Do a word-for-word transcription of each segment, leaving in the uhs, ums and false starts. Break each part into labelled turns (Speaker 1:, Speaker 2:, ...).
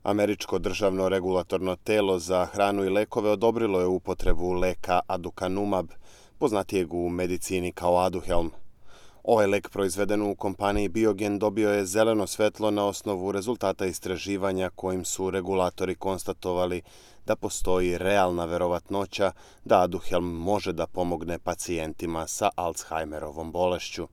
Speaker 1: Američko državno regulatorno telo za hranu i lekove odobrilo je upotrebu leka aducanumab, poznatijeg u medicini kao Aduhelm. Ovaj lek proizveden u kompaniji Biogen dobio je zeleno svetlo na osnovu rezultata istraživanja kojim su regulatori konstatovali da postoji realna verovatnoća da Aduhelm može da pomogne pacijentima sa Alzheimerovom bolešću.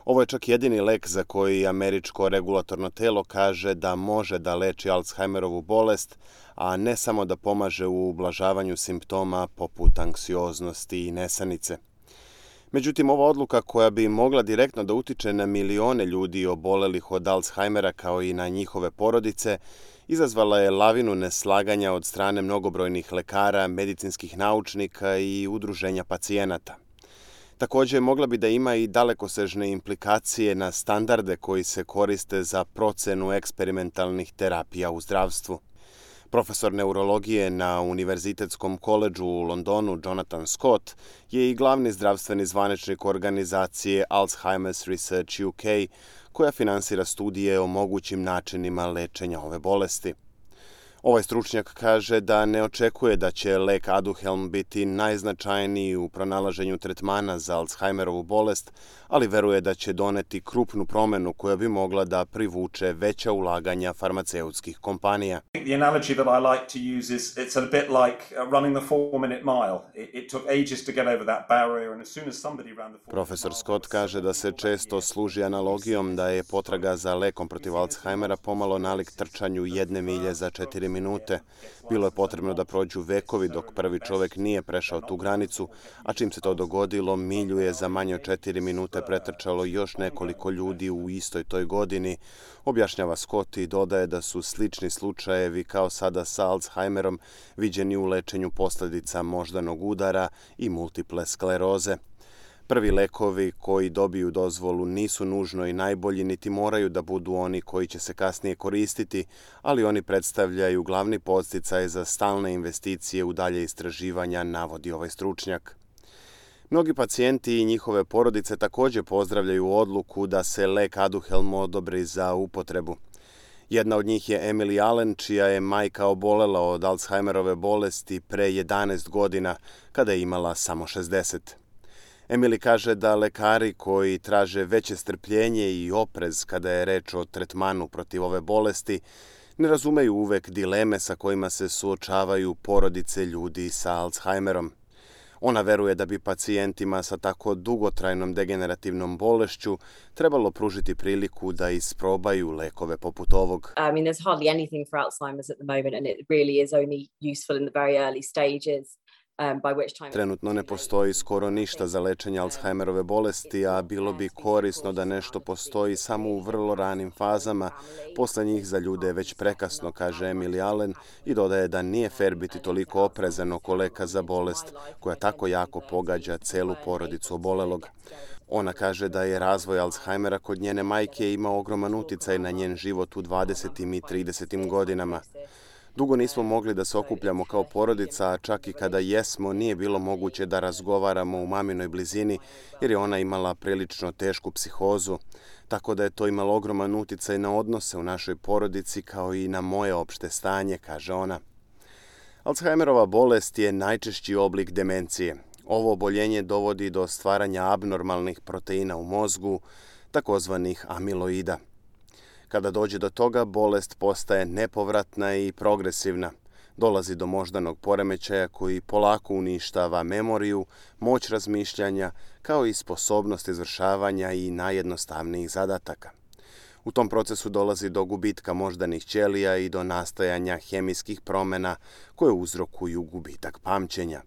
Speaker 1: Ovo je čak jedini lek za koji američko regulatorno telo kaže da može da leči Alzheimerovu bolest, a ne samo da pomaže u ublažavanju simptoma poput anksioznosti i nesanice. Međutim, ova odluka koja bi mogla direktno da utiče na milione ljudi obolelih od Alzheimera kao i na njihove porodice, izazvala je lavinu neslaganja od strane mnogobrojnih lekara, medicinskih naučnika i udruženja pacijenata. Također, mogla bi da ima i dalekosežne implikacije na standarde koji se koriste za procenu eksperimentalnih terapija u zdravstvu. Profesor neurologije na Univerzitetskom koledžu u Londonu Jonathan Scott je i glavni zdravstveni zvaničnik organizacije Alzheimer's Research U K, koja finansira studije o mogućim načinima lečenja ove bolesti. Ovaj stručnjak kaže da ne očekuje da će lek Aduhelm biti najznačajniji u pronalaženju tretmana za Alzheimerovu bolest, ali veruje da će doneti krupnu promenu koja bi mogla da privuče veća ulaganja farmaceutskih kompanija.
Speaker 2: The analogy that I like to use is it's a bit like running the four-minute mile. It, it took ages to get over that barrier, and as soon as somebody ran the
Speaker 1: Profesor Scott kaže da se često služi analogijom da je potraga za lekom protiv Alzheimera pomalo nalik trčanju jedne milje za četiri minute. Bilo je potrebno da prođu vekovi dok prvi čovjek nije prešao tu granicu, a čim se to dogodilo, milju je za manje od četiri minute pretrčalo još nekoliko ljudi u istoj toj godini, objašnjava Scott i dodaje da su slični slučajevi kao sada sa Alzheimerom viđeni u lečenju posljedica moždanog udara i multiple skleroze. Prvi lekovi koji dobiju dozvolu nisu nužno i najbolji, niti moraju da budu oni koji će se kasnije koristiti, ali oni predstavljaju glavni podsticaj za stalne investicije u dalje istraživanja, navodi ovaj stručnjak. Mnogi pacijenti i njihove porodice također pozdravljaju odluku da se lek Aduhelm odobri za upotrebu. Jedna od njih je Emily Allen, čija je majka obolela od Alzheimerove bolesti pre jedanaest godina, kada je imala samo šezdeset. Emily kaže da lekari koji traže veće strpljenje i oprez kada je reč o tretmanu protiv ove bolesti ne razumeju uvek dileme sa kojima se suočavaju porodice ljudi sa Alzheimerom. Ona veruje da bi pacijentima sa tako dugotrajnom degenerativnom bolešću trebalo pružiti priliku da isprobaju lekove poput ovog.
Speaker 3: I mean, there's hardly anything for Alzheimer's at the moment, and it really is only useful in the very early stages.
Speaker 1: Trenutno ne postoji skoro ništa za lečenje Alzheimerove bolesti, a bilo bi korisno da nešto postoji samo u vrlo ranim fazama. Posle njih za ljude je već prekasno, kaže Emily Allen i dodaje da nije fer biti toliko oprezan oko leka za bolest koja tako jako pogađa celu porodicu obolelog. Ona kaže da je razvoj Alzheimera kod njene majke imao ogroman uticaj na njen život u dvadesetim i tridesetim godinama. Dugo nismo mogli da se okupljamo kao porodica, a čak i kada jesmo, nije bilo moguće da razgovaramo u maminoj blizini, jer je ona imala prilično tešku psihozu, tako da je to imalo ogroman uticaj na odnose u našoj porodici kao i na moje opšte stanje, kaže ona. Alzheimerova bolest je najčešći oblik demencije. Ovo oboljenje dovodi do stvaranja abnormalnih proteina u mozgu, takozvanih amiloida. Kada dođe do toga, bolest postaje nepovratna i progresivna. Dolazi do moždanog poremećaja koji polako uništava memoriju, moć razmišljanja, kao i sposobnost izvršavanja i najjednostavnijih zadataka. U tom procesu dolazi do gubitka moždanih ćelija i do nastajanja hemijskih promjena koje uzrokuju gubitak pamćenja.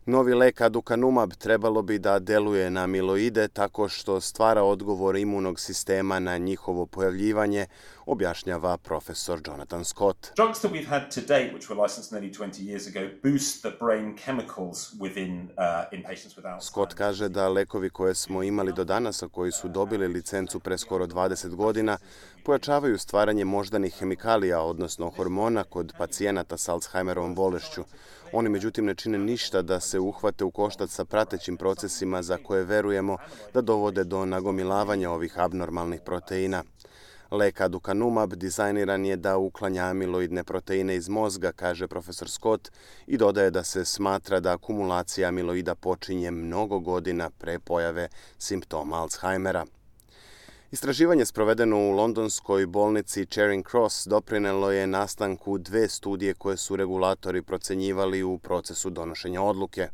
Speaker 1: Novi lek aducanumab trebalo bi da deluje na amiloide tako što stvara odgovor imunog sistema na njihovo pojavljivanje, objašnjava profesor Jonathan Scott.
Speaker 2: Drugs that we've had to date, which were licensed nearly twenty years ago, boost the brain chemicals within uh, in patients with Alzheimer's.
Speaker 1: Scott kaže da lekovi koje smo imali do danas, a koji su dobili licencu pre skoro dvadeset godina, pojačavaju stvaranje moždanih hemikalija, odnosno hormona kod pacijenata sa Alzheimerovom bolešću. Oni međutim ne čine ništa da se uhvate u koštac sa pratećim procesima za koje verujemo da dovode do nagomilavanja ovih abnormalnih proteina. Lek aducanumab dizajniran je da uklanja amiloidne proteine iz mozga, kaže profesor Scott, i dodaje da se smatra da akumulacija amiloida počinje mnogo godina pre pojave simptoma Alzheimera. Istraživanje sprovedeno u londonskoj bolnici Charing Cross doprinelo je nastanku dve studije koje su regulatori procenjivali u procesu donošenja odluke.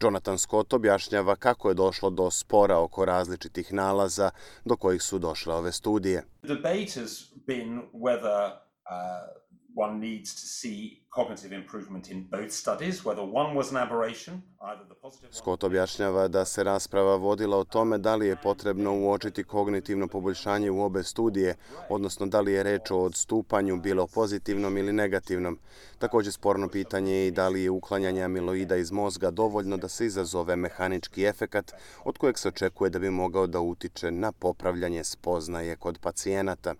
Speaker 1: Jonathan Scott objašnjava kako je došlo do spora oko različitih nalaza do kojih su došle ove studije.
Speaker 2: The debate has been whether uh, one needs to see cognitive improvement in both studies, whether one was an aberration, either the positive one...
Speaker 1: Scott objašnjava da se rasprava vodila o tome da li je potrebno uočiti kognitivno poboljšanje u obe studije, odnosno da li je reč o odstupanju bilo pozitivnom ili negativnom. Također sporno pitanje je i da li je uklanjanje amiloida iz mozga dovoljno da se izazove mehanički efekat od kojeg se očekuje da bi mogao da utiče na popravljanje spoznaje kod pacijenata.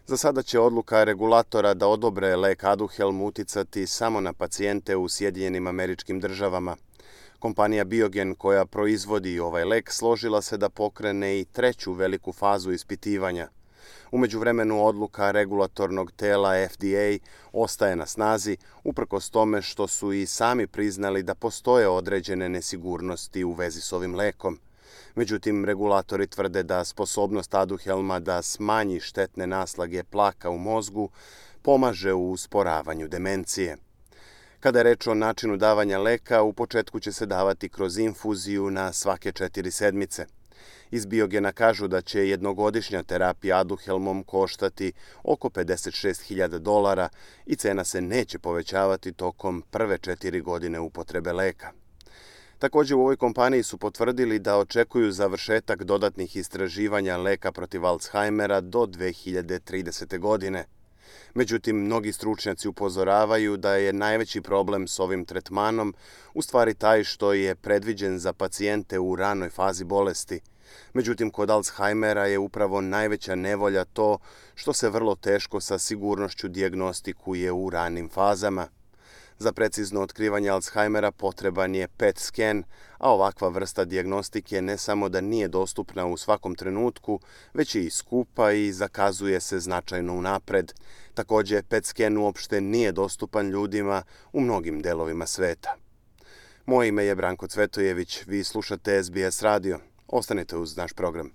Speaker 1: Za sada će odluka regulatora da odobre lek Aduhelm uticati samo na pacijente u Sjedinjenim Američkim Državama. Kompanija Biogen, koja proizvodi ovaj lek, složila se da pokrene i treću veliku fazu ispitivanja. U međuvremenu odluka regulatornog tela F D A ostaje na snazi, uprkos tome što su i sami priznali da postoje određene nesigurnosti u vezi s ovim lekom. Međutim, regulatori tvrde da sposobnost Aduhelma da smanji štetne naslage plaka u mozgu pomaže u usporavanju demencije. Kada je reč o načinu davanja leka, u početku će se davati kroz infuziju na svake četiri sedmice. Iz Biogena kažu da će jednogodišnja terapija Aduhelmom koštati oko pedeset šest hiljada dolara i cena se neće povećavati tokom prve četiri godine upotrebe leka. Također u ovoj kompaniji su potvrdili da očekuju završetak dodatnih istraživanja leka protiv Alzheimera do dve hiljade tridesete. godine. Međutim, mnogi stručnjaci upozoravaju da je najveći problem s ovim tretmanom u stvari taj što je predviđen za pacijente u ranoj fazi bolesti. Međutim, kod Alzheimera je upravo najveća nevolja to što se vrlo teško sa sigurnošću dijagnostikuje u ranim fazama. Za precizno otkrivanje Alzheimera potreban je P E T sken, a ovakva vrsta dijagnostike ne samo da nije dostupna u svakom trenutku, već je i skupa i zakazuje se značajno unapred. Također, P E T sken uopšte nije dostupan ljudima u mnogim delovima sveta. Moje ime je Branko Cvetojević, vi slušate S B S radio. Ostanite uz naš program.